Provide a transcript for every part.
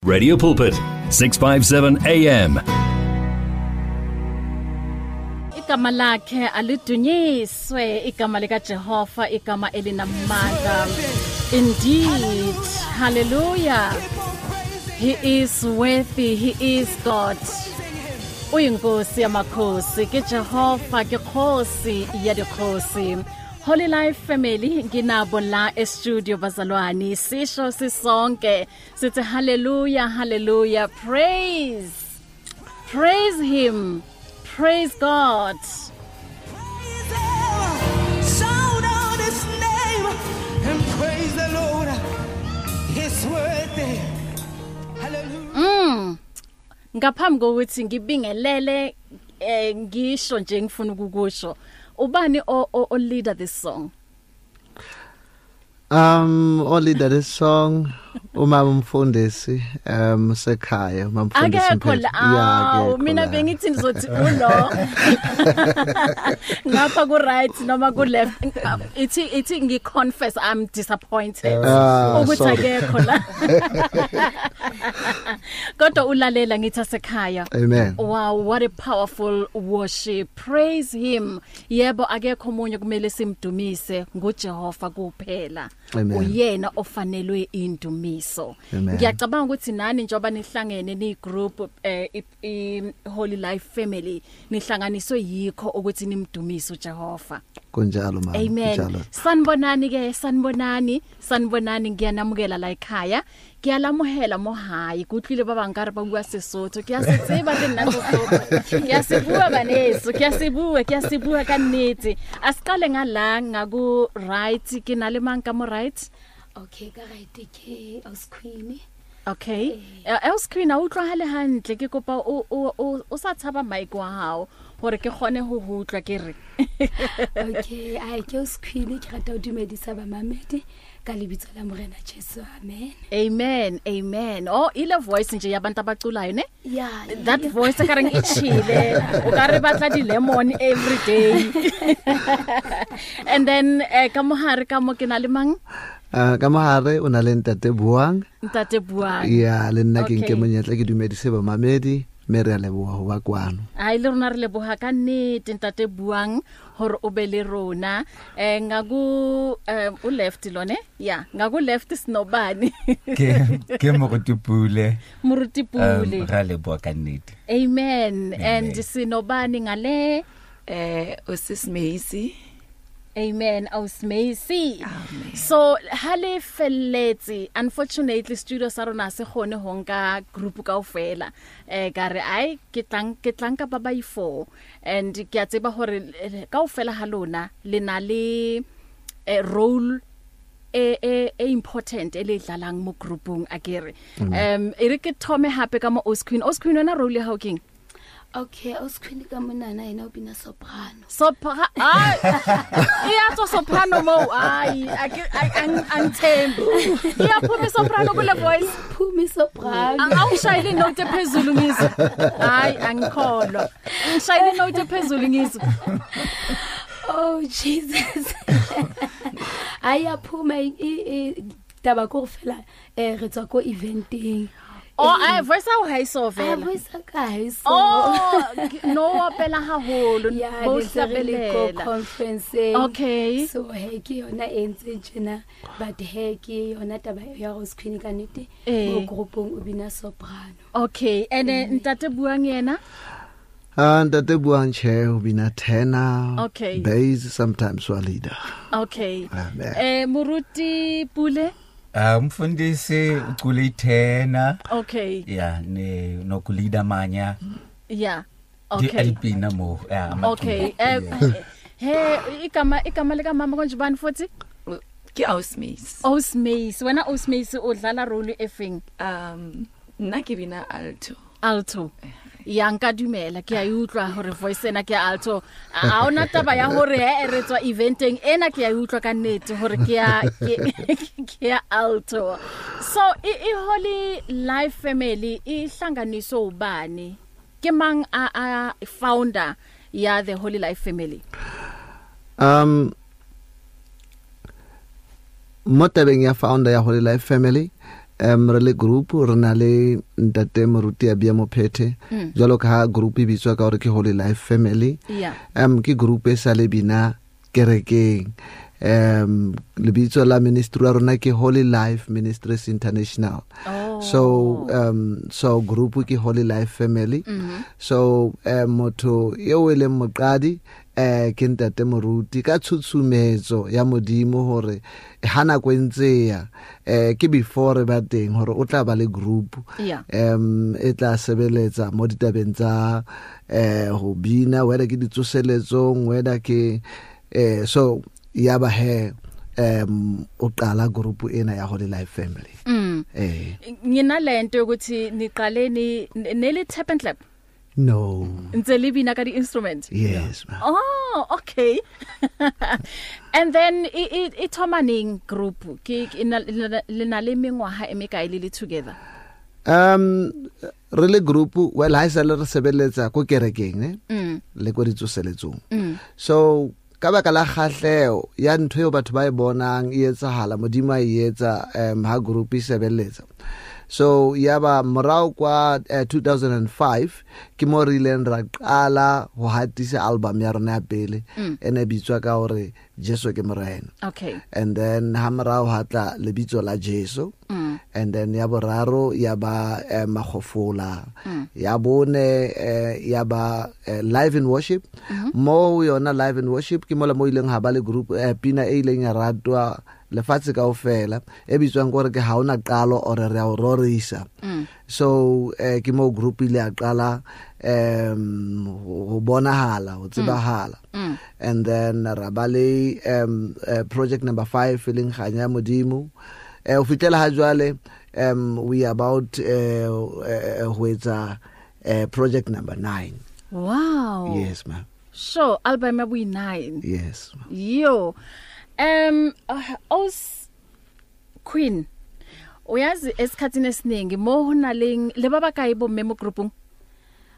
Radio Pulpit 657 AM. Igama lakhe alidunyiswe, igama lika Jehova, igama elinamandla. Indeed, hallelujah. He is worthy, he is God. Uyinkosi yamakhosi, ke Jehova ke Nkosi ya dikhosi. Holy Life Family nginabo la e-studio bazalwane, sisho sisonke sithi hallelujah, hallelujah, praise, praise him, praise God. Praise him, shout out his name and praise the Lord, he's worthy. Hallelujah. Ngaphambi kokuthi ngibingelele ngisho nje ngifuna ukukusho, ubani o leader this song? O leader this song umama umfundisi sekhaya, umfundisi. Akekho la. Mina bengithi nizothi ulo ngapha ku right noma ku left. Ithi ngi confess I'm disappointed ukuthi akekho la. Kodwa ulalela ngithi asekhaya. Amen. Wow, what a powerful worship. Praise him. Yebo, akekho omunye kumele simdumise, nguJehova kuphela. Uyena ofanelwe indumiso. Ngiyacabanga ukuthi nani njoba nihlangene ni group i Holy Life Family nihlanganiswe yikho ukuthi nimdumise uJehova. Kunjalo mama. Amen. Sanibonani ke, sanibonani, sanibonani, ngiyanamukela la ekhaya. Ngiyalamuhela mo hayi kutlile baba nkare ba bua Sesotho, ke a se tseba le nna Sesotho, ke a se bua baneso, ke a se bua, ke a se bua ka nnete. Asiqale ngala ngaku right, ke na le mang ka mo right? Okay, ka right ke Aus Queen. Okay. Aus Queen a utlwahale hantle, ke kopa o sa tshaba mic wa hao hore ke kgone ho utlwa ke re. Okay, ai ke Aus Queen, ke rata ho dumedisa ba mamedi ka lebitso la Morena Jesu. Amen. Amen, amen. Oh, ile voice nje yabantu abaculayo ne? Yeah. That voice ka reng e chile. O ka re batla di lemon every day. And then ka mohare ka mo ke na le mang? Ka mohare o na le Ntate Buang. Ntate Buang. Yeah, le nna ke nke monyetla ke dumedise ba mamedi, mme re a leboha ho ba kwano. Ai le rona re leboha ka nnete Ntate Buang hore o be le rona. Ngaku u left lone? Yeah, ngaku left sinobani. Ke Moruti Pule. Moruti Pule. Re leboha ka nnete. Amen. And sinobani ngale Osis Macy. Amen. Ausmacy. So hale felletse, unfortunately studio sa rona se gone ho nka group kaofela. Ka re ai ke tlang ka ba ba i4 and ke a tseba hore kaofela ha lona le na le role e important e le dlalang mo groupung akere. E re ke thome hape ka mo Aus Queen. Aus Queen wena role ya hao keng? Okay, Aus Queen ka monana yena o bina soprano. Soprano. Ai. Iya tso soprano mo. Ai, angithembi. Iya phuma soprano kule voice. Phuma soprano. Awushayile note ephezulu ngizwe. Hayi, angikholwa. Ngishayile note ephezulu ngizwe. Oh Jesus. Ayaphuma taba ko fela re tswa ko eventing. Oh, I voice how high so vela. Voice ka high so. Oh, no opela haholo. Bo hlabele conference. Okay. So he ke yona e ntse tjena, but he ke yona taba ya Rose Queen ka nnete mo groupong o bina soprano. Okay, and Ntate Buang yena? Ntate Buang che o bina tenor. Okay. Bass sometimes wa leader. Okay. Moruti Pule? Umfundisi ucula ithena. Okay. Yeah, ne nokulida manya. Yeah. Okay. Di mo. Yeah. Okay. He igama lika mama konje bani futhi? Ke Ausmace. Ausmace. Wena Ausmace udlala role efeng? Nna ke bina alto. Alto. Ya nka dumela ke a utlwa hore voice ena ke alto. A ona taba ya hore he re tswa eventeng ena ke a utlwa ka nnete hore ke ya alto. So i Holy Life Family ihlanganiswe ubani? Ke mang a founder ya the Holy Life Family? Mo tabeng ya founder ya Holy Life Family, Re le group re na le ntate Moruti Abia Mophethe, jwalo ka ha group e bitswa ka hore ke Holy Life Family. Ke group e sa le bina kerekeng. Lebitso la ministry ya rona ke Holy Life Ministries International. So so group ke Holy Life Family. So motho eo e leng moqadi ke ntate Moruti ka tshutshumetso ya Modimo hore ha nako e ntse ya ke before re ba teng hore o tla ba le group e tla sebeletsa mo ditabeng tsa ho bina, whether ke ditsoseletsong, whether ke so ya ba he o qala group ena ya Holy Life Family. Nginalento yokuthi niqale ni neli tap and clap. No. Ntse le bina ka di instrument. Yes, ma'am. Oh, okay. And then i thoma neng group ke le na le mengwaha e mekae le together? Re le group, well ha isale re sebeletsa ko kerekeng ne le ko ditsoseletsong. So ka baka la kgahleho ya ntho eo batho ba e bonang e etsahala, Modimo a e etsa ha group e sebeletsa. So ya ba morao kwa 2005 ke mo re ileng ra qala ho hatisa album ya rona ya pele e ne bitswa ka hore Jesu ke Morena. Okay. And then ha morao ha tla lebitso la Jesu. And then ya boraro ya ba Makgofola. Ya bone ya ba Live in Worship. Mo yona Live in Worship ke mola mo ileng ha ba le group pina e ileng ya ratwa lefatshe kaofela e bitswang gore ke ha ona qalo ore re a o rorisa. So ke mo group ile ya qala ho bonahala, ho tsebahala. And then ra ba le project number 5 e leng Kganya Modimo. Ho fihlela ha jwale we about ho etsa project number 9. Wow. Yes, ma'am. So album ya bo 9. Yes. Yo. Os Queen, uyazi esikhathini esiningi mo hona leng le baba kae bo mme mo groupung?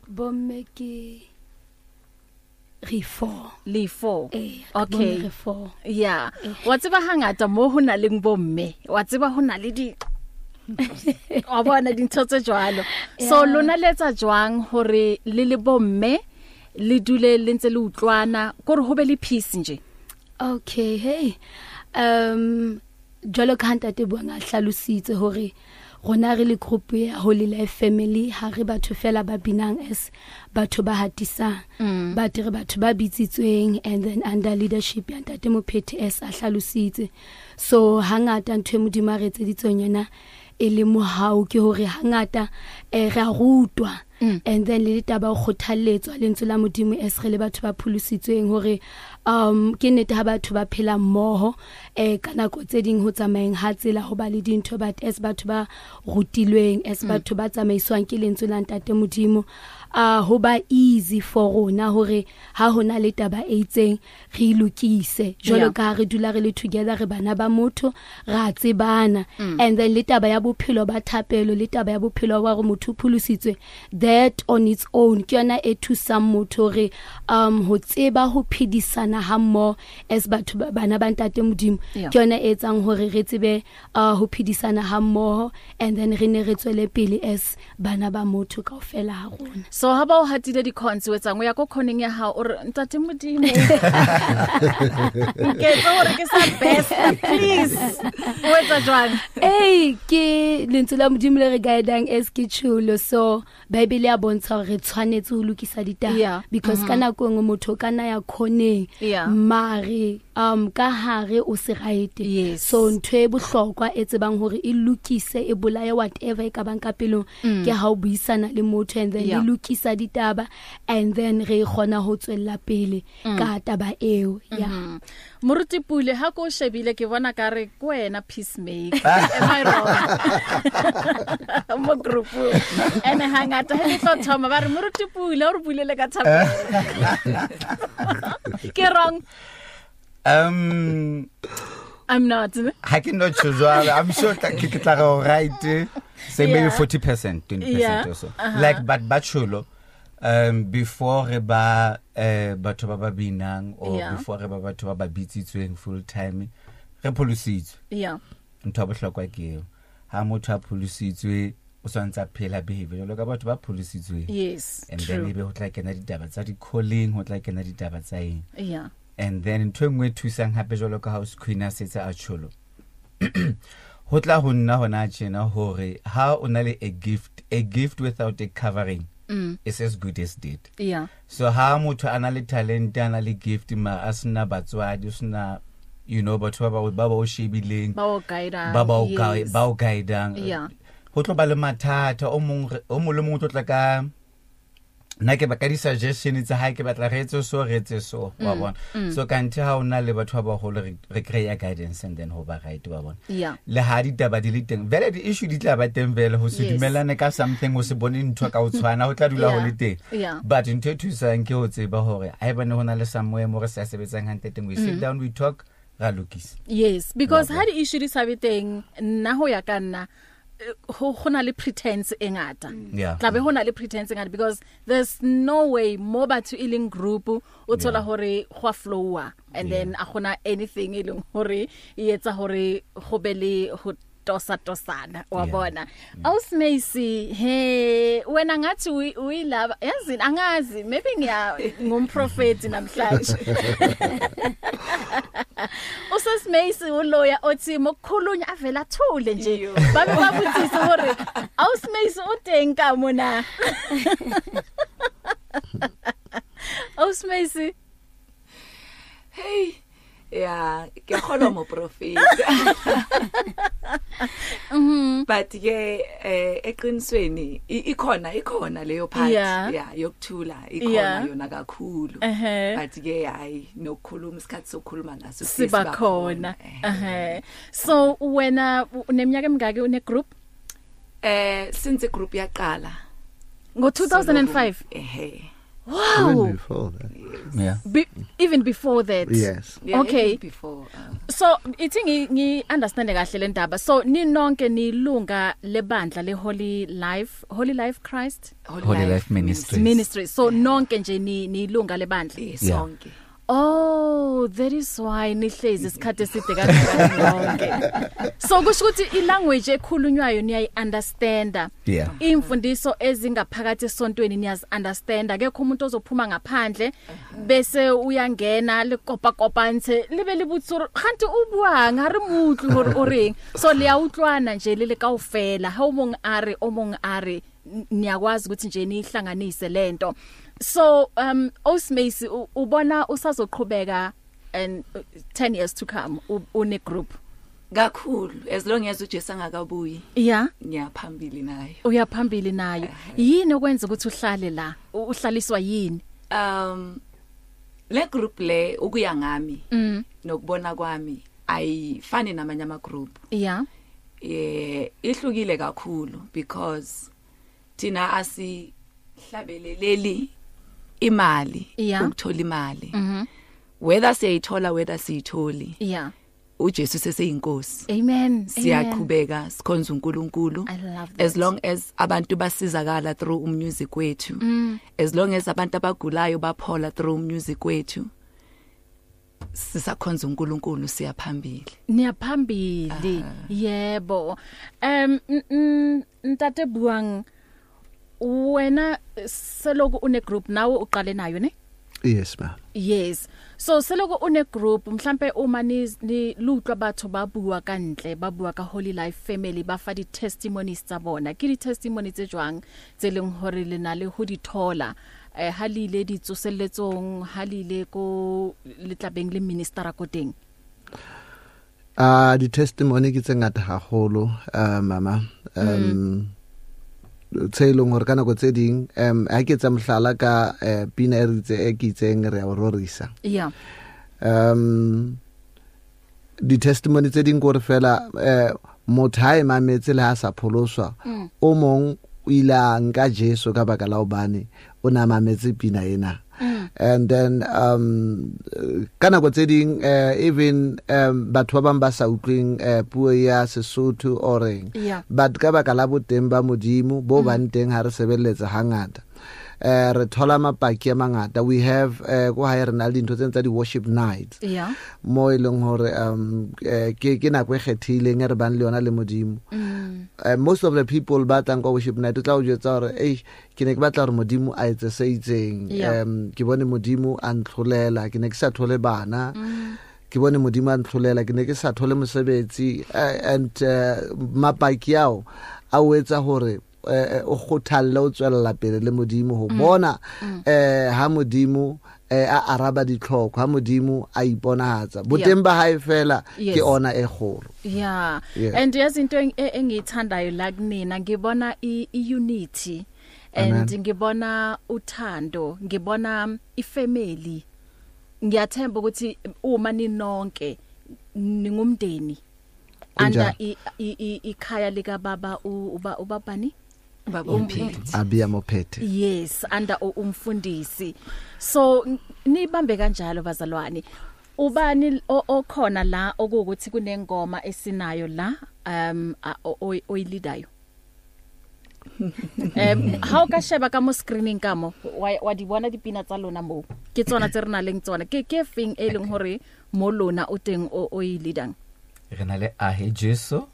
Bomme ke re 4. Le 4. Okay. Re 4. Yeah. Wa tseba hangata mo hona leng bomme, wa tseba hona le di wa bona dintho tse jwalo. So lona letsa jwang hore le le bomme le dule le ntse le utlwana kore ho be le peace nje? Okay, hey. Jwalo ka ntate Buang a hlalositse hore rona re le group ya Holy Life Family ha re batho fela ba binang as batho ba hatisang, but re batho ba bitsitsweng and then under leadership ya ntate Mophethe as a hlalositse. So hangata ntho e Modimo a re etseditseng yona e le mohau ke hore hangata re a rutwa. And then le ditaba o kgothalletswa lentswe la Modimo as re le batho ba pholositsweng hore ke nnete ha batho ba phela mmoho ka nako tse ding ho tsamaeng ha tsela ho ba le dintho, but as batho ba rutilweng, as batho ba tsamaiswang ke lentswe la ntate Modimo, ho ba easy for rona hore ha hona le taba e itseng re lokise jwalo ka re dula re le together, re bana ba motho, ra tsebana. And then le taba ya bophelo ba thapelo le taba ya bophelo ba hore motho o pholositswe, that on its own ke yona e thusang motho hore ho tseba ho phedisana ha mmoho as batho bana ba ntate Modimo. Ke yona e etsang hore re tsebe ho phedisana ha mmoho and then re ne re tswele pele as bana ba motho kaofela ha rona. So ha ba o hatile di-cons o etsang o ya ko khoneng ya hao o re ntate Modimo nke etsa hore ke sa best, please, o etsa jwang? Hey, ke lentswe la Modimo le re guidang as ke tjholo. So Bible ya bontsha hore re tshwanetse ho lokisa ditaba, because ka nako engwe motho ka na ya khoneng mare ka hare o se right. So ntho e bohlokwa e tsebang hore e lokise e bolaye whatever e ka bang ka pelong ke ha o buisana le motho and then le lokisa ditaba and then re kgona ho tswella pele ka taba eo. Yeah. Moruti Pule, ha ko shebile ke bona ka re ke wena peacemaker. Am I wrong? Mo group ene hangata he tlo thoma ba re Moruti Pule o re bulele ka thapelo. Ke wrong? I'm not. Ha ke no choose. I'm sure ke tla go right. Say maybe 40%, 20% or so. Like but bacholo before re ba batho ba ba binang or before re ba batho ba ba bitsitsweng full time re pholositswe. Yeah. Ntho ya bohlokwa ke eo. Ha motho a pholositswe o swantse a phela behavior jwalo ka batho ba pholositsweng. Yes. And true. Then ebe ho tla kena ditaba tsa di-calling, ho tla kena ditaba tsa eng. Yeah. And then ntho e nngwe e thusang hape jwalo ka house queen a setse a tsholo. Ho tla ho nna hona tjena hore ha o na le a gift without a covering is as good as dead. Yeah. So ha motho a na le talent, a na le gift, ma a sena batswadi, o sena, you know, batho ba ba o shebileng, ba o guidang, ba o guidang. Yeah. Ho tlo ba le mathata o mong o mong le mong o tlo tla ka nna ke ba ka di-suggestion tsa hae, ke batla re etse so, re etse so, wa bona. So kanthe ha o na le batho ba baholo re kry-a guidance and then ho ba right, wa bona. Yeah. Le ha ditaba di le teng vele, di-issue di tla ba teng vele, ho se dumellane ka something, ho se bone ntho ka ho tshwana, ho tla dula ho le teng. Yeah. But ntho e thusang ke ho tseba hore haebane ho na le somewhere mo re sa sebetsang hantle teng, we sit down, we talk, ra lokisa. Yes, because ha di-issue di sa be teng, nna ho ya ka nna ho na le pretense e ngata. Yeah. Tla be ho na le pretense e ngata because there's no way mo batho e leng group o thola hore go a flowa and then a gona anything e leng hore e etsa hore go be le ho tosa tosana, wa bona. Awusimesi, he wena ngathi uyilaba, yazini angazi, maybe ngiya ngumprofeti namhlanje. Usesimesi uloya othi mokukhulunywa avela athule nje, babe babuthisa hore awusimesi uteng ka mona. Awusimesi, hey. Yeah, ke kgolwa mo prophet. But ke eqinisweni ikhona leyo part, yeah, yokuthula ikhona yona kakhulu. But ke hayi nokukhuluma isikhathi sokukhuluma naso siba khona. So wena uneminyaka emingaki une group? Since group yaqala ngo 2005. Ehe. Wow. Even before that. Yeah. Even before that. Yes. Yeah, okay. Even before. So ithi ngi understand kahle le ndaba. So ninonke nilunga lebandla le Holy Life Christ, Holy Life Ministries. Ministry. So nonke nje nilunga lebandla. Yes, sonke. Oh, that is why nihlezi isikhathi eside kangaka nonke. So kusho ukuthi ilanguage ekhulunywayo niyayi understanda. Yeah. Imfundiso ezingaphakathi esontweni niyazi understand. Akekho umuntu ozophuma ngaphandle bese uyangena likopa kopantse libe libutsuru kanti ubuang ha re mutlu hore o reng. So liyawutlwana nje lele kaofela. Ha omong a re niyakwazi ukuthi nje nihlanganise lento. So Osmesi ubona usazoqhubeka and 10 years to come une group kakhulu as long as uJesu angakabuyi. Yeah, ngiyaphambili nayo. Uyaphambili nayo. Yini okwenza ukuthi uhlale la? Uhlaliswa yini? Le group le ukuya ngami nokubona kwami ayifani namanye ama group. Yeah. Ihlukile kakhulu because thina asihlabeleleli imali, ukuthola imali. Whether siyayithola whether siyitholi. Yeah. uJesu seseyinkosi. Amen. Siyaqhubeka sikhonza uNkulunkulu. As long as abantu basizakala through umusic wethu. As long as abantu abagulayo baphola through umusic wethu. Sisakhonza uNkulunkulu siyaphambili. Niyaphambili. Yebo. Ntate Buang, wena seloku une group nawe uqale nayo ne? Yes ma'am. Yes. So seloku une group mhlambe uma ni lutlwa batho ba bua ka ntle, ba bua ka Holy Life Family, ba fa di testimonies tsa bona. Ke di testimony tse jwang tse leng hore le na le ho di thola ha le ile ditsoselletsong, ha le ile ko letlabeng le minister ko teng? Di testimony ke tse ngata haholo mama. Tse leng hore ka nako tse ding ha ke tsa mohlala ka pina e ritse e ke itseng re a o rorisa. Yeah. Di testimony tse ding gore fela motho ha e mametse le ha sa pholoswa, o mong o ile a nka Jesu ka baka la hobane o na mametse pina ena. And then ka nako tse ding even batho ba bang ba sa utlweng puo ya Sesotho or eng, but ka baka la boteng ba Modimo bo bang teng ha re sebeletsa hangata, Re thola mapaki a mangata. We have ko hae re na le dintho tse tsa di worship nights. Yeah. Mo e leng hore ke nako e kgethileng e re bang le yona le Modimo. Most of the people ba tlang kwa worship night o tla o jwetsa hore ei ke ne ke batla hore Modimo a etse se itseng. Ke bone Modimo a ntlholela, ke ne ke sa thole bana. Ke bone Modimo a ntlholela, ke ne ke sa thole mosebetsi, and mapaki ao a o etsa hore o kgothalle o tswella pele le Modimo ho bona ha Modimo a araba ditlhoko, ha Modimo a iponahatsa boteng ba hae fela ke ona e kgolo. Yeah. And yazi into engiyithandayo la kunina, ngibona i unity and ngibona uthando, ngibona ifamily. Ngiyathemba ukuthi uma ninonke ningumndeni under ikhaya lika baba ubabani baba uMphethe, Abia Mophethe. Yes, under umfundisi. So nibambe kanjalo bazalwane. Ubani okhona la okuthi kunengoma esinayo la oyilidayo? Ha o ka sheba ka mo screening ka mo wa di bona dipina tsa lona mo, ke tsona tse re na leng tsona. Ke feng e leng hore mo lona o teng o e leadang? Re na le Ahe Jesu.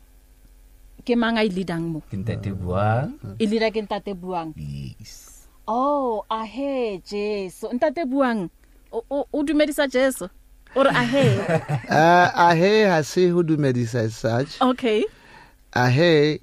Ke mang a e leadang mo? Ke Ntate Buang. E leader ke Ntate Buang. Yes. Oh, Ahe Jesu. Ntate Buang o dumedisa Jesu. O re ahe. Ahe ha se ho dumedisa as such. Okay. Ahe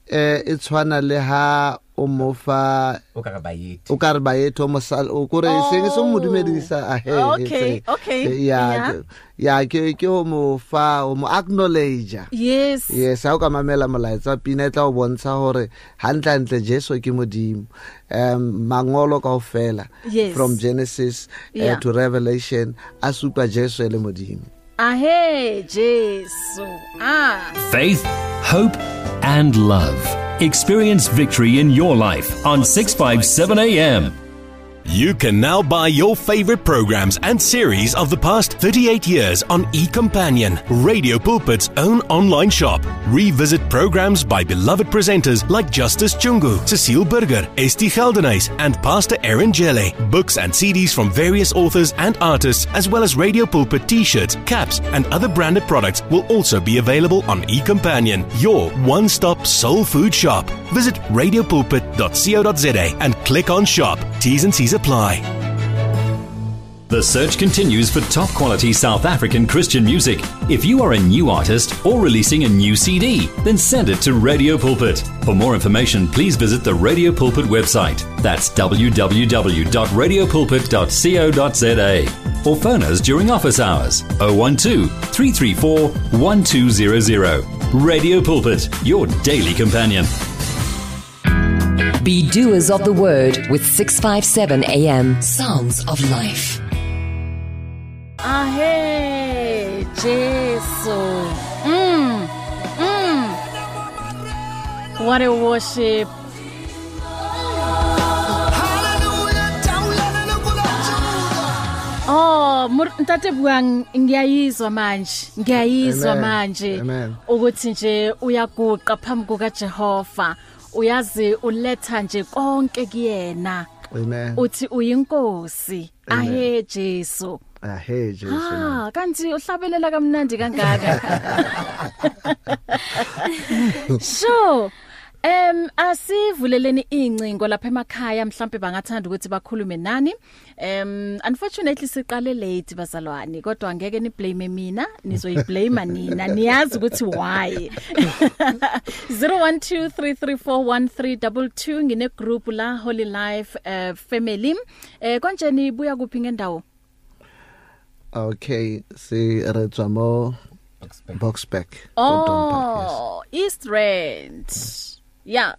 e tshwana le ha o mofa o ka re bayethe, o ka re bayethe o mosal o kore seng se mo dumedisa ahe. Okay, okay. Yeah, yeah, ke o mofa o mo acknowledge. Yes. Yes, ha o ka mamela molaetsa pina e tla o bontsha hore hantle hantle Jesu ke Modimo. Mangolo kaofela from Genesis to Revelation a supa Jesu e le Modimo. Ahe Jesu. Ah. Faith, hope and love. Experience victory in your life on 657 AM. You can now buy your favorite programs and series of the past 38 years on eCompanion, Radio Pulpit's own online shop. Revisit programs by beloved presenters like Justice Chungu, Cecile Burger, Esti Geldenhuys, and Pastor Aaron Jelle. Books and CDs from various authors and artists, as well as Radio Pulpit t-shirts, caps, and other branded products will also be available on eCompanion, your one-stop soul food shop. Visit radiopulpit.co.za and click on Shop. T's and C's apply. The search continues for top quality South African Christian music. If you are a new artist or releasing a new CD, then send it to Radio Pulpit. For more information, please visit the Radio Pulpit website. That's www.radiopulpit.co.za. Or phone us during office hours, 012 334 1200. Radio Pulpit, your daily companion. Be doers of the word with 657 AM. Sounds of life. Ahe, Jesu. What a worship. Oh, Ntate Buang, ngiyayizwa manje. Ngiyayizwa manje ukuthi nje uyaguqa phambi kuka Jehova. Uyazi uletha nje konke kuyena. Amen. Uthi uyinkosi. Ahe Jesu. Ahe Jesu. Ah, kanti uhlabelela kamnandi kangaka. Sure. Asivuleleni incingo lapha emakhaya, mhlambe bangathanda ukuthi bakhulume nani. Unfortunately siqale late bazalwane, kodwa ngeke ni blame mina, nizoyiblame nina, niyazi ukuthi why. 0123341322 ngine group la Holy Life Family. Konje nibuya kuphi ngendawo? Okay, si re tswa mo Boksburg. Oh, yes. East Rand. Yeah.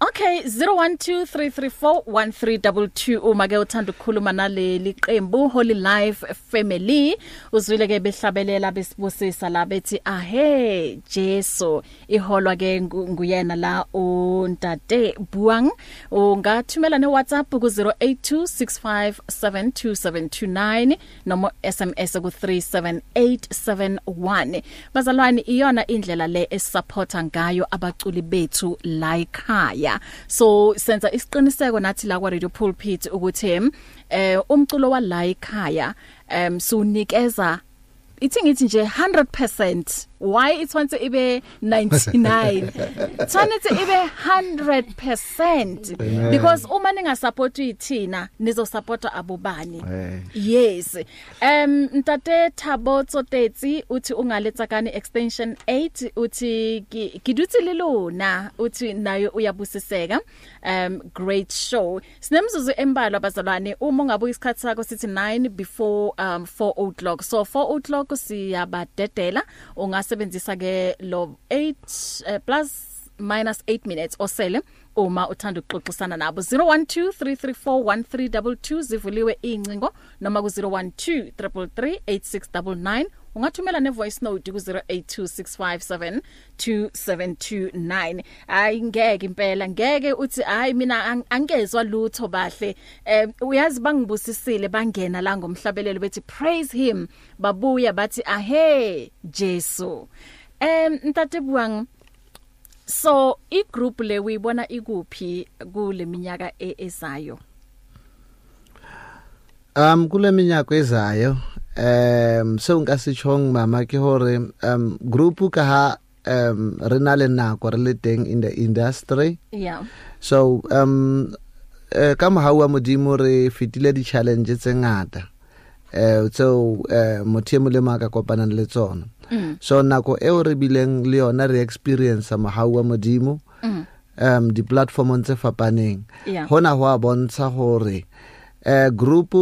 Okay, 0123341322 uma ke uthanda ukukhuluma naleli qembu Holy Life Family. Uzwile ke behlabelela besibusisa la bethi ahe Jesu, iholwa ke nguyena la uNtate Buang. Ungathumela ne WhatsApp ku 0826572729 noma SMS ku 37871. Bazalwane, iyona indlela le esupporta ngayo abaculi bethu la ekhaya. ekhaya. So senza isiqiniseko nathi la kwa Radio Pulpit ukuthi umculo wa la ekhaya sunikeza ithi ngithi nje 100%. Why it ibe 99? Tshwanetse ibe 100%, because uma ninga support ithina nizo support abobani. Yes. Ntate Thabo Tsotetsi uthi ungaletsa kani extension 8, uthi ke dutse le lona, uthi nayo uyabusiseka. Great show. Sinemzuzu embalwa bazalwane, uma ungabuka isikhathi sakho sithi 9 before 4 o'clock. So 4 o'clock siyabadedela, ungasebenzisa ke lo 8 plus minus 8 minutes osele uma uthanda ukuxoxisana nabo. 0123341322 zivuliwe incingo, noma ku 0123338699. Ungathumela ne voice note ku 0826572729. Hayi ngeke impela, ngeke uthi hayi mina angezwa lutho bahle. Uyazi bangibusisile, bangena la ngomhlabelelo bethi praise him, babuya bathi ahe Jesu. Ntate Buang, so i group le uyibona ikuphi kule minyaka ezayo? Kule minyaka ezayo seo nka se tjhong mama ke hore group ka ha re na le nako re le teng in the industry. Yeah. So ka mohau wa Modimo re fetile di challenge tse ngata tseo motho e molemo a ka kopanang le tsona. So nako eo re bileng le yona re experience mohau wa Modimo di platformong tse fapaneng. Hona ho a bontsha hore group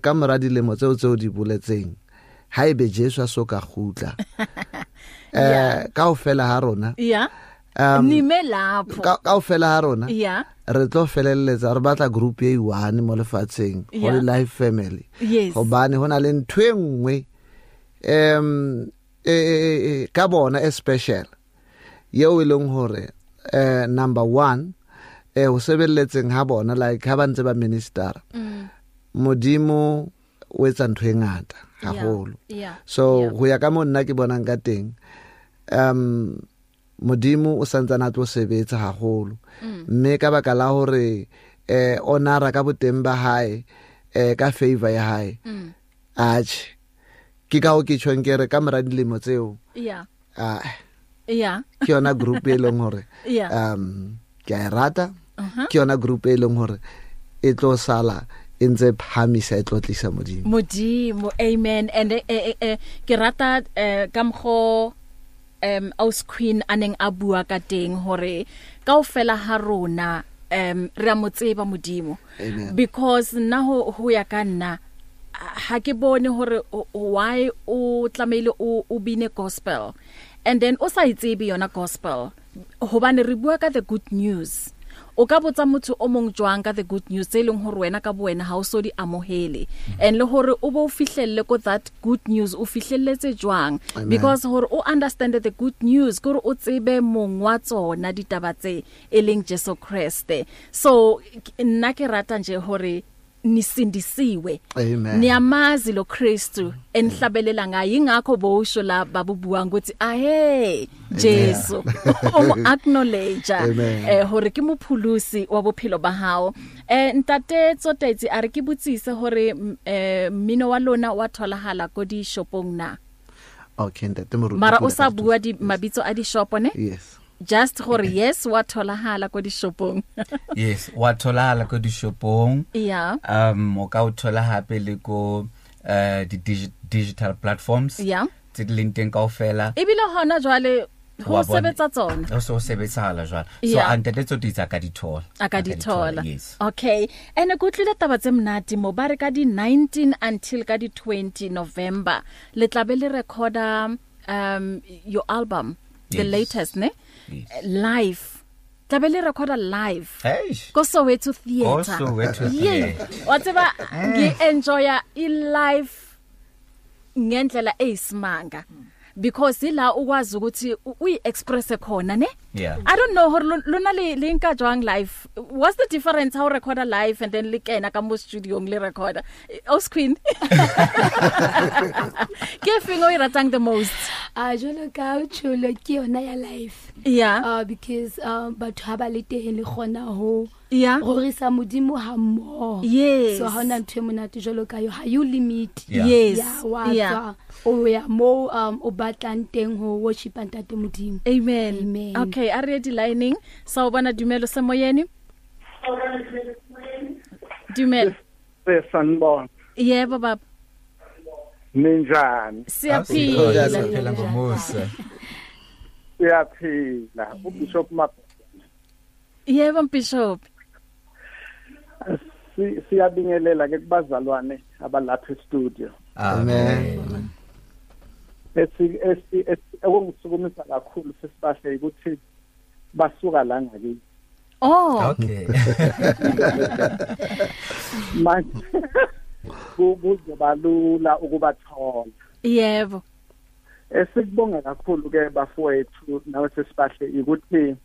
ka mora dilemo tseo tseo di boletseng ha ebe Jesu a so ka kgutla kaofela ha rona nime lapho kaofela ha rona re tlo felelletsa re batla group e one mo lefatsheng, Holy Life Family. Hobane hona le ntho e nngwe ka bona e special yeo e leng hore number 1 ho sebeletseng ha bona, like ha ba ntse ba minister, Modimo o etsa ntho e ngata haholo. So ho ya ka mo nna ke bonang ka teng, Modimo o santsana a tlo sebetsa haholo, mme ka baka la hore honora ka boteng ba hae, ka favor ya hae, atjhe ke ka ho ke tjhong ke re ka mora dilemo tseo ke yona group e leng hore ke a e rata, ke yona group e leng hore e tlo sala e ntse phamisa, e tlo tlisa Modimo. Modimo, amen. And ke rata ka mkgo aus Queen aneng a bua ka teng hore kaofela ha rona re a mo tseba Modimo. Because nna ho ya ka nna ha ke bone hore why o tlamehile o bine gospel and then o sa itsebe yona gospel, hobane re bua ka the good news. O ka botsa motho o mong jwang ka the good news tse leng hore wena ka bo wena ha o so di amohele, and le hore o bo fihlelle ko that good news o fihlelletse jwang. Because hore o understand the good news kore o tsebe mong wa tsona ditaba tse e leng Jesu Kriste. So nna ke rata nje hore nisindisiwe, niyamazi lo Kristu enihlabelela ngaye, ingakho bosho la babubuang ukuthi ahe Jesu o acknowledge hore ke mophulusi wa bophelo ba hao. Ntate Tsotetsi a re ke botsise hore mmino wa lona wa tholahala ko di shopong na? Okay, ntate Moruti, mara o sa bua di mabitso a di shop ne? Yes, just gore yes wa tholahala ko dishopong. Yes, wa tholahala ko dishopong. Yeah. O ka o thola hape le ko di digital platforms. Yeah. Tse di leng teng kaofela. Ebile hona jwale ho sebetsa tsona. Ho so sebetsahala jwale. So ntate Tsotetsi a ka di thola. A ka di thola. Yes. Okay. Ene ke utlwile taba tse monate mo ba re ka di 19 until ka di 20 November le tla be le recorda your album. The latest ne? Yes. Live. Tla be le recorda live. Hey. Ko Soweto Theatre. Ko Soweto Theatre. Wa tseba ngi enjoya i live ngendlela eyisimanga. because ila ukwazi ukuthi uyi express khona ne. Yeah. I don't know hore lona le nka jwang live. What's the difference how recorder live and then le kena ka mo studio le recorder? O screen. Ke feng o e ratang the most? Jolo ka tsholo ke yona ya live. Yeah. Because batho ha ba le teng le gona ho yeah. Rorisa modimo ha mmoho. Yes. So ha ona ntho e monate jolo ka yo ha you limit. Yeah. Yes. Yeah, wa tswa o ya mo o batlang teng ho worship ntate modimo. Amen. Amen. Okay, a re di lining. Sawubona Dumelo semoyeni. Dumelo. Sanibona. Yebo baba. Ninjani? Siyaphila. Siyaphila ngomusa. Siyaphila. uBishop Map. Yebo Bishop. Siyabingelela ke kubazalwane abalapha e-studio. Amen. Esi okungisukumisa kakhulu sesibahle ukuthi basuka la ngakithi. Oh. Okay. Manje kuzoba lula ukubathola. Yebo. Esikubonga kakhulu ke bafowethu nawe sesibahle ukuthi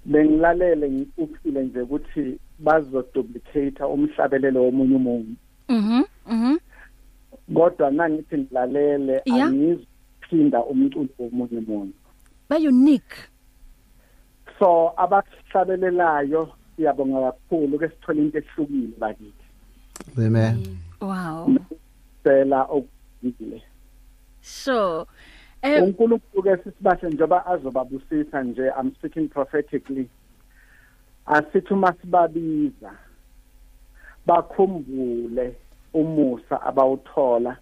bengilalele ngikuphile nje ukuthi bazoduplicate umhlabelelo womunye umuntu. Mhm. Mhm. Kodwa nangithi ngilalele angiziphinda umculo womunye umuntu. Ba unique. So abahlabelelayo siyabonga kakhulu ke sithola into ehlukile bakithi. Amen. Wow. Sela okugile. Sure. uNkulunkulu ke sisibahle njengoba azobabusisa nje, I'm speaking prophetically. Asithi uma sibabiza bakhumbule umusa abawuthola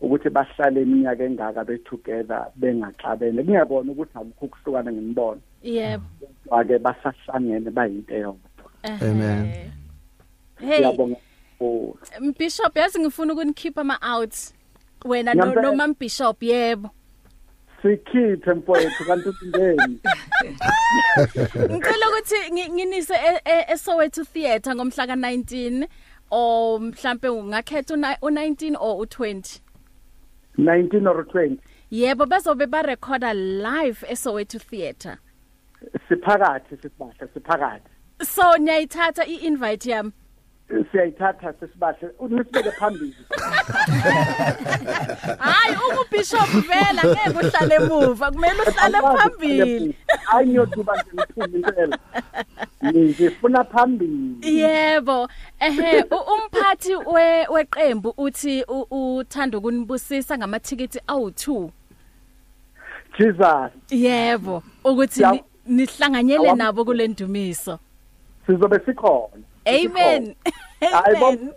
ukuthi bahlale iminyaka engaka be together bengaxabene, kungekona ukuthi akukho ukuhlukana ngemibono. Yebo. Kodwa ke basahlangene bayinto eyodwa. Amen. Hey. Siyabonga. Bishop, yazi ngifuna ukunikhipha ama out. Wena no Mam Bishop, yebo. Sikhiphe mfowethu kanti uthindeni. Ngicela ukuthi nginise eSoweto Theatre ngomhla ka19 or mhlambe ungakhetha u19 or u20. 19 or 20. Yebo, bazobe ba recorder live eSoweto Theatre. Siphakathi sisibahle, siphakathi. So niyayithatha i-invite yami? Siyayithatha sisibahle, unisibeke phambili. Hayi uBishop vela ngeke uhlale emuva, kumele uhlale phambili. Hayi ngiyoduba nje ngiphume impela. Ngifuna phambili. Yebo. Ehe, umphathi weqembu uthi uthanda ukunibusisa ngamathikithi awu2. Jesus. Yebo, ukuthi nihlanganyele nabo kule ndumiso. Sizobe sikhona. Amen. Amen.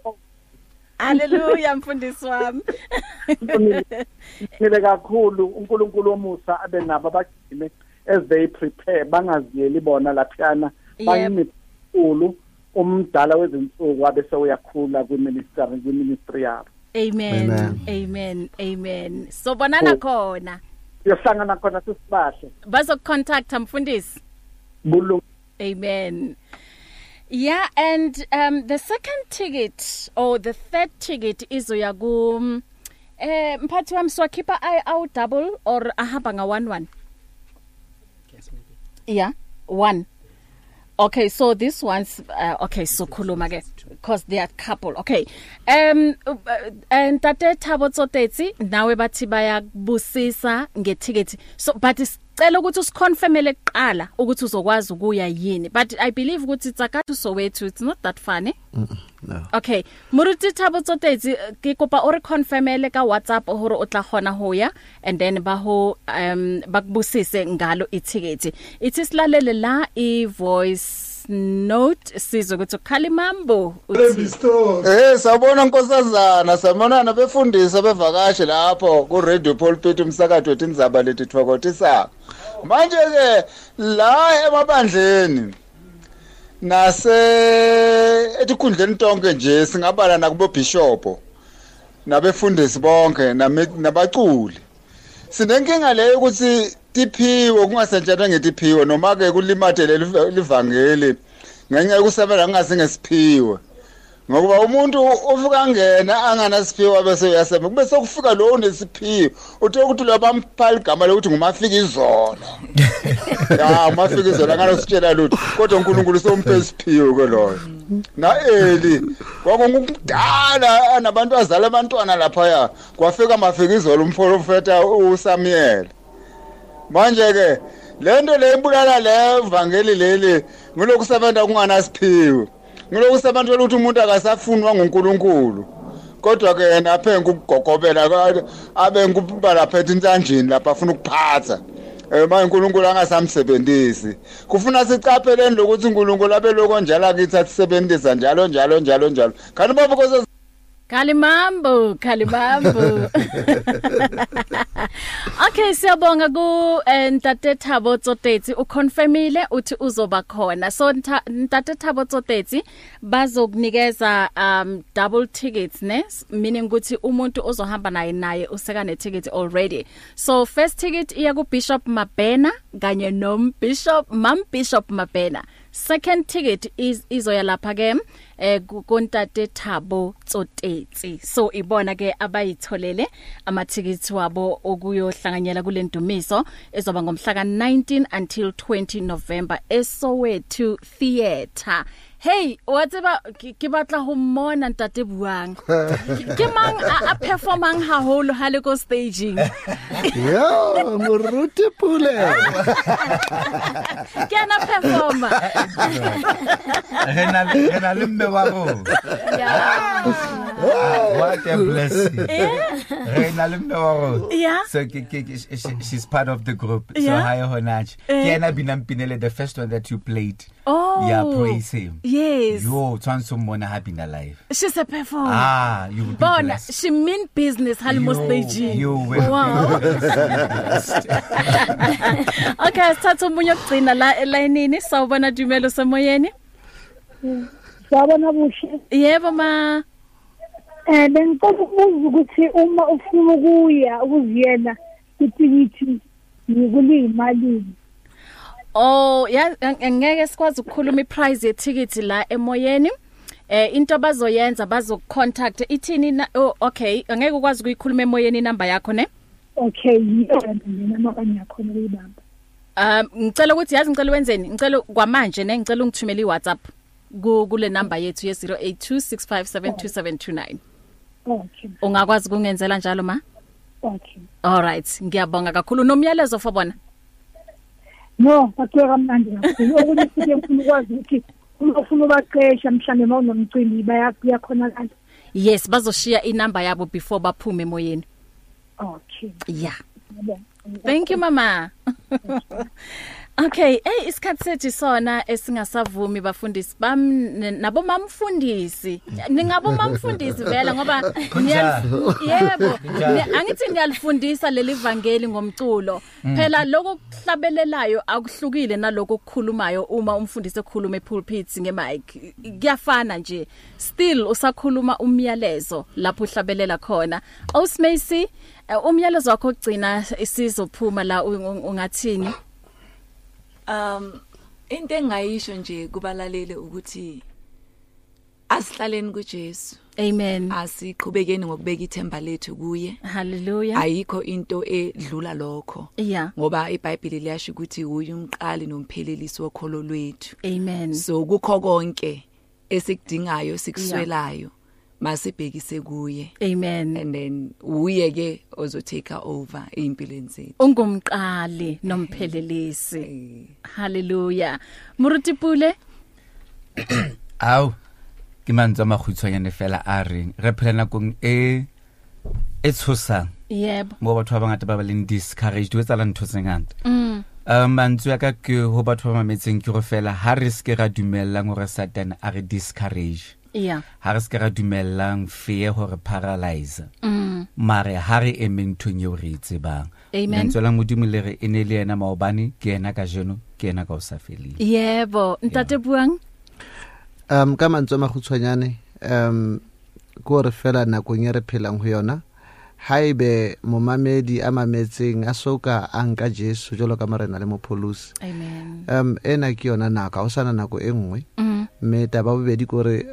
Hallelujah mfundisi wami. Ngile kakhulu uNkulunkulu womusa abe nabo abagcine as they prepare, bangaziyeli bona laphana, bayimikhulu umdala wezinsuku abe sewuyakhula kwi-ministry yabo. Amen. Amen. Amen. Amen. So bonana khona. Siyohlangana khona sisibahle. Bazokucontacta mfundisi. Amen. Yeah, and the second ticket or the third ticket izoya ku mphathi wami, siwakhipha awu double or ahamba nga 1-1? Yeah, 1. Okay, so this one's okay, so khuluma ke because they are couple. Okay. And Tate Thabo Tsotetsi nawe bathi bayakubusisa ngethicket. So but sicela ukuthi usiconfirmele kuqala ukuthi uzokwazi ukuya yini. But I believe ukuthi Tsakathu Soweto, it's not that funny. No. Okay, Moruti Thabo Tsotetsi ke kopa o re confirmele ka WhatsApp hore o tla gona ho ya, and then ba ho bakubusise ngalo ithicket. Ithi silalele la i voice note sizwe ukuthi Khalimambo uthi sawubona nkosazana, sabonana befundisa bevakashe lapho ku Radio Pulpit umsakazo wetindzaba letitfokotisa. Manje ke la emabandleni nase etikhundleni tonke nje singabala nakubo bishop nabefundisi bonke nabaculi. Sinenkinga leyo ukuthi tiphiwe kungasetshenzwa ngetiphiwe noma ke kulimatele livangeli ngenxa yokusebenzela ngase ngesiphiwe. Ngokuba umuntu ufika ngena anganasiphiwo bese uyasema kube sokufika lo unesiphiwo uthe ukuthi lo bampha igama lokuthi ngumafika izolo. Ya umafika izolo anganositshela lutho kodwa uNkulunkulu somphe isiphiwo ke loyo. Na Eli kwakungudala anabantu azala abantwana lapha kwafika mafika izolo umprofeta uSamuel. Manje ke lento le ibulala le vangeli leli ngilokusebenza kunganasiphiwo. Ngiloku sebenza ukuthi umuntu akasafunwa nguNkulunkulu. Kodwa ke yena aphe ukugogobela abe ngikuba lapha entanjini lapha afuna ukuphatha. Manje uNkulunkulu angasamsebenzisi. Kufuna siqapheleni lokuthi uNkulunkulu abe lokho njalo akithi asebenzisa njalo njalo njalo njalo. Kanti baba kose Kalimambo, Kalimambo. Okay, siyabonga ku Ntate Thabo Tsotetsi uconfirmile uthi uzoba khona. So Ntate Thabo Tsotetsi bazokunikeza double tickets ne, meaning ukuthi umuntu ozohamba naye useka ne ticket already. So first ticket iya ku Bishop Mabena kanye no Bishop Mam Bishop Mabena. Second ticket is izoya lapha ke kuNtate Thabo Tsotetsi. So ibona ke abayitholele amathikithi wabo okuyohlanganyela kule ndumiso ezoba ngomhla ka19 until 20 November eSoweto Theatre. Hey, wa tseba ke batla ho mmona Ntate Buang. Ke mang a performang haholo ha le ko staging? Yo, Moruti Pule. Ke ana performer. Re na le mme wa rona. Yeah. What a blessing. Re na le mme wa rona. Yeah. So she's part of the group. So hi honach. Ke ena binang pinele, the first one that you played. Oh. Yeah, praise him. Yes. Yo, tshwantse mmona ha bina live. She's a performer. Ah, you will be Bona, blessed. She mean business halimo staging. You will. Wow. Okay, sithatha umunye okugcina la elayinini. Sawubona Dumelo semoyeni. Sawubona Buhle. Yebo ma. Bengicela ukubuza ukuthi uma ufuna ukuya ukuziyela ithikithi ngikulimalini. Oh, ya ngeke sikwazi ukukhuluma iprice yethikithi la emoyeni. Into abazoyenza bazocontact ithini. Oh, okay, angeke ukwazi ukuyikhuluma emoyeni inamba yakho ne? Okay, yiyona mina makanye yakhona ukuyibamba. Ngicela ukuthi yazi ngicela wenzeni? Ngicela kwamanje ne ngicela ungithumele iWhatsApp kule number yethu ye 0826572729. Okay. Ungakwazi kungenzela njalo ma? Okay. All right, ngiyabonga kakhulu. Nomyalezo for bona? No, bathiwe kamnandi kakhulu. Okunye futhi ngifuna ukwazi ukuthi uma ufuna ubaqesha mhlambe mawunomcimbi bayakhonakala. Yes, bazoshiya inamba yabo before baphume emoyeni. Okay. Yeah. Thank you mama. Okay, hey isikhathi sethu sona esingasavumi bafundisi bam nabo mamfundisi. Ningabo mamfundisi vela ngoba yebo angithi niyalifundisa leli vangeli ngomculo. Phela lokho kuhlabelelayo akuhlukile naloko okukhulumayo uma umfundisi ekhuluma epulpit ngemic. Kuyafana nje. Still usakhuluma umyalezo lapho uhlabelela khona. Osmacy, umyalezo wakho ogcina isizophuma la ungathini? Into engayisho nje kubalaleli ukuthi asihlaleni kuJesu. Amen. Asiqhubekeni ngokubeka ithemba lethu kuye. Hallelujah. Ayikho into edlula lokho. Yeah. Ngoba iBhayibheli liyasho ukuthi uye umqali nomphelelisi wokholo lwethu. Amen. So kukho konke esikudingayo sikuswelayo. Masibhekise kuye. Amen. And then uye ke ozo take over empilweni zethu. Ungumqali nomphelelisi. Hallelujah. Moruti Pule. Aw, ke mantswe a makhutshwanyane fela a reng re phela nakong e tshosang. Yebo. Mo batho ba bangata ba ba leng discouraged ho etsahala ntho tse ngata. Mantswe a ka ke ho batho ba mametseng ke go fela ha re se ke ra dumellang hore Satan a re discourage. Yeah. Ha re se ke ra dumellang fear hore paralyze. Mare ha re emeng nthong eo re e tsebang. Lentswe la Modimo le re e ne le yena maobane, ke yena kajeno, ke yena ka ho sa feleng. Yebo, Ntate Buang. Ka mantswe a makgutshwanyane, ke hore fela nakong e re phelang ho yona, haebe momamedi a mametseng a soka a nka Jesu jwalo ka morena le mopholosi. Amen. Ena ke yona nako, ha o sana nako e nngwe. Mme taba bobedi kore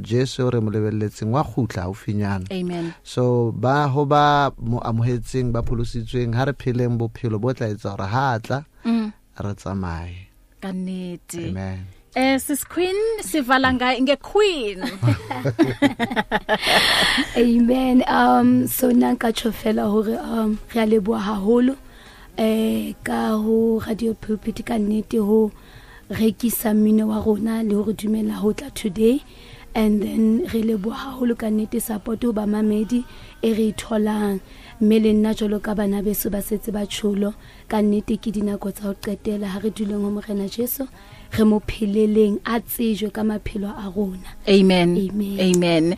Jesu re mo lebelletseng wa kgutla haufinyana. Amen. So ba ho ba mo amohetseng ba pholositsweng ha re pheleng bophelo bo tla etsa hore ha tla re tsamaye. Ka nnete. Amen. Sis Queen sivala nge Queen. Amen. So nna nka tjho fela hore re a leboha haholo ka ho Radio Pulpit ka nnete ho rekisa mmino wa rona le hore dumela ho tla today, and then re leboha haholo ka nnete support ho ba mamedi e re tholang, mme le nna jwalo ka bana beso ba setse ba tsholo ka nnete ke dinako tsa ho qetela ha re duleng ho Morena Jesu re mo pheleleng a tsejwe ka maphelo a rona. Amen. Amen. Amen.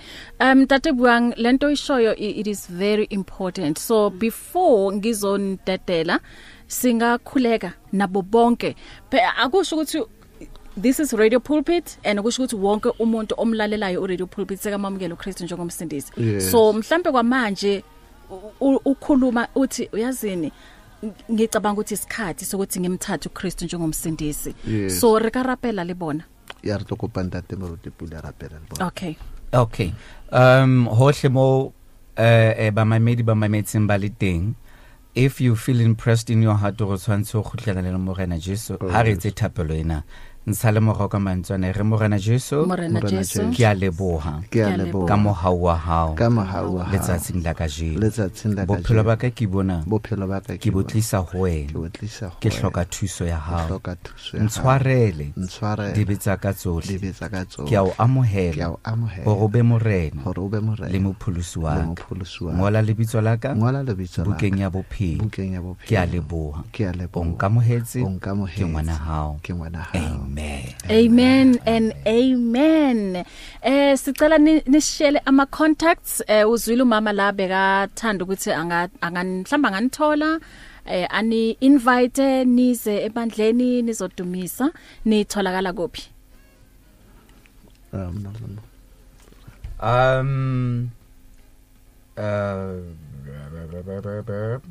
Tate Buang, lento ishoyo it is very important. So before ngizonidedela singakhuleka nabo bonke. Akusho ukuthi this is Radio Pulpit and akusho ukuthi wonke umuntu omlalelayo u Radio Pulpit sekamamukela uKristu njengomsindisi. Yes. So mhlambe kwamanje ukhuluma uthi uyazini ngicabanga ukuthi isikhathi sokuthi ngimthathe uKristu njengomsindisi. Yes. So re ka rapela le bona. Ya re tlo kopa ntate Moruti Pule rapela le bona. Okay. Okay. Hohle mo ba mamedi ba mametseng ba le teng, if you feel impressed in your heart go tshwantse go khutlela le Morena Jesu, ha re etse thapelo ena ntsha le morao ka mantswana re Morena Jesu, Morena Jesu, ke a leboha, ke a leboha ka mohau wa hao, ka mohau wa hao letsatsing la kajeno, letsatsing la kajeno, bophelo ba ka ke bona, bophelo ba ka ke bo tlisa ho wena, ke bo tlisa ho ke hloka thuso ya hao, hloka thuso ya hao, ntshwarele, ntshwarele dibe tsa ka tsohle, dibe tsa ka tsohle, ke a o amohela, ke a o amohela, hore o be morena, hore o be morena le mopholosi wa le ka, mopholosi wa ka, ngola lebitso la ka, ngola lebitso la ka bukeng ya bophelo, bukeng ya bophelo, ke a leboha, ke a leboha, o nkamohetse, o nkamohetse, ke ngwana hao, ke ngwana hao. Amen. Amen and amen. Sicela nishele ama contacts. Uzwile umama la bekathanda ukuthi anga mhlamba nganithola ani invite nize ebandleni nizodumisa, nitholakala kuphi?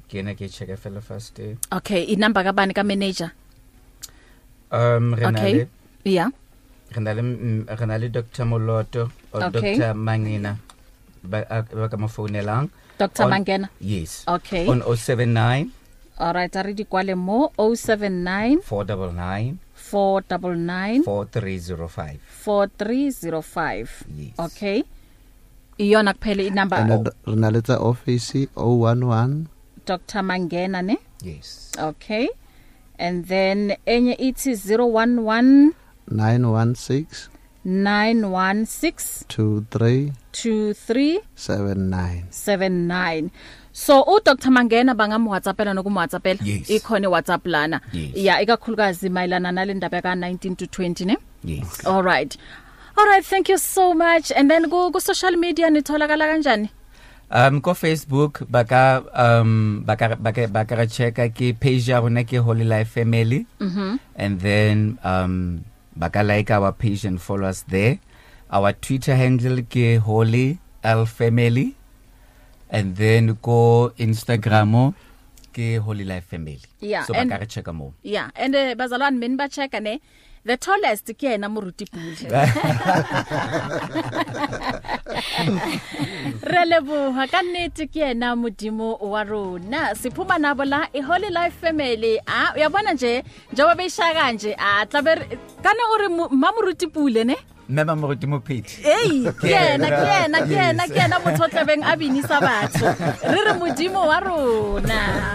Ke na ke check fela first. Okay, inumber kabani ka manager? Renale. Okay. Yeah. Renale Dr. Moloto or okay. Dr. Mangena ba ka mo founelang. Dr. Mangena. Yes. Okay. On 079. All right, a re di kwale mo 079 499 499 4305 4305. Yes. Okay. Iyona kuphela inumber. Re na le tsa office 011 Dr. Mangena ne? Yes. Okay. And then enye ithi 011 916 916 23 23 79 79. So u Dr Mangena bangam WhatsAppela nokum WhatsAppela. Yes. Ikhona WhatsApp lana. Yes. Yeah, ikakhulukazi mayelana nale ndaba ka 19 to 20 ne? Yes. All right. All right, thank you so much. And then ku social media nitholakala kanjani? Ko Facebook baka baka checka ke page ya rona ke Holy Life Family. Mhm. And then baka like our page and follow us there. Our Twitter handle ke Holy L Family. And then ko Instagram ke Holy Life Family. Yeah, so baka re checka mo. Yeah, and bazalwane mina ba checka ne. The tallest ke yena Moruti Pule. Re leboha ka nnete ke yena Modimo wa rona. Siphuma nabo la e Holy Life Family. Ah, uyabona nje njengoba beyishaka nje, ah tlabe kana ore mma Moruti Pule ne? Mma Moruti Mophethi. Hey, ke yena motho o tlabeng a binisa batho. Re re Modimo wa rona.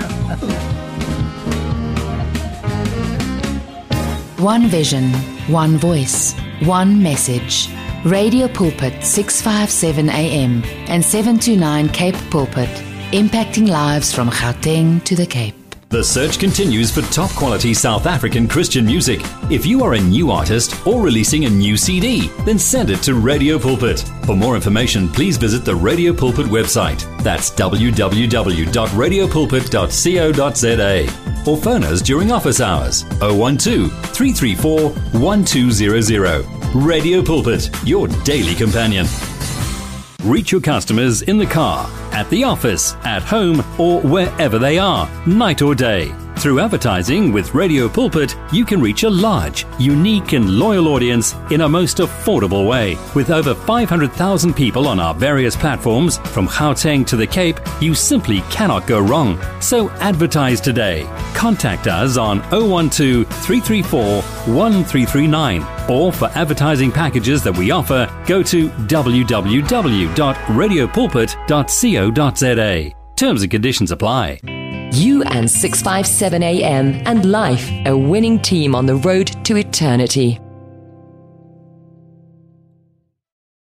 One vision, one voice, one message. Radio Pulpit 657 AM and 729 Cape Pulpit, impacting lives from Gauteng to the Cape. The search continues for top quality South African Christian music. If you are a new artist or releasing a new CD, then send it to Radio Pulpit. For more information, please visit the Radio Pulpit website. That's www.radiopulpit.co.za. Or phone us during office hours, 012 334 1200. Radio Pulpit, your daily companion. Reach your customers in the car, at the office, at home, or wherever they are, night or day. Through advertising with Radio Pulpit, you can reach a large, unique, and loyal audience in a most affordable way. With over 500,000 people on our various platforms, from Gauteng to the Cape, you simply cannot go wrong. So advertise today. Contact us on 012 334 1339 or for advertising packages that we offer, go to www.radiopulpit.co.za. Terms and conditions apply. You and 657 AM and life, a winning team on the road to eternity.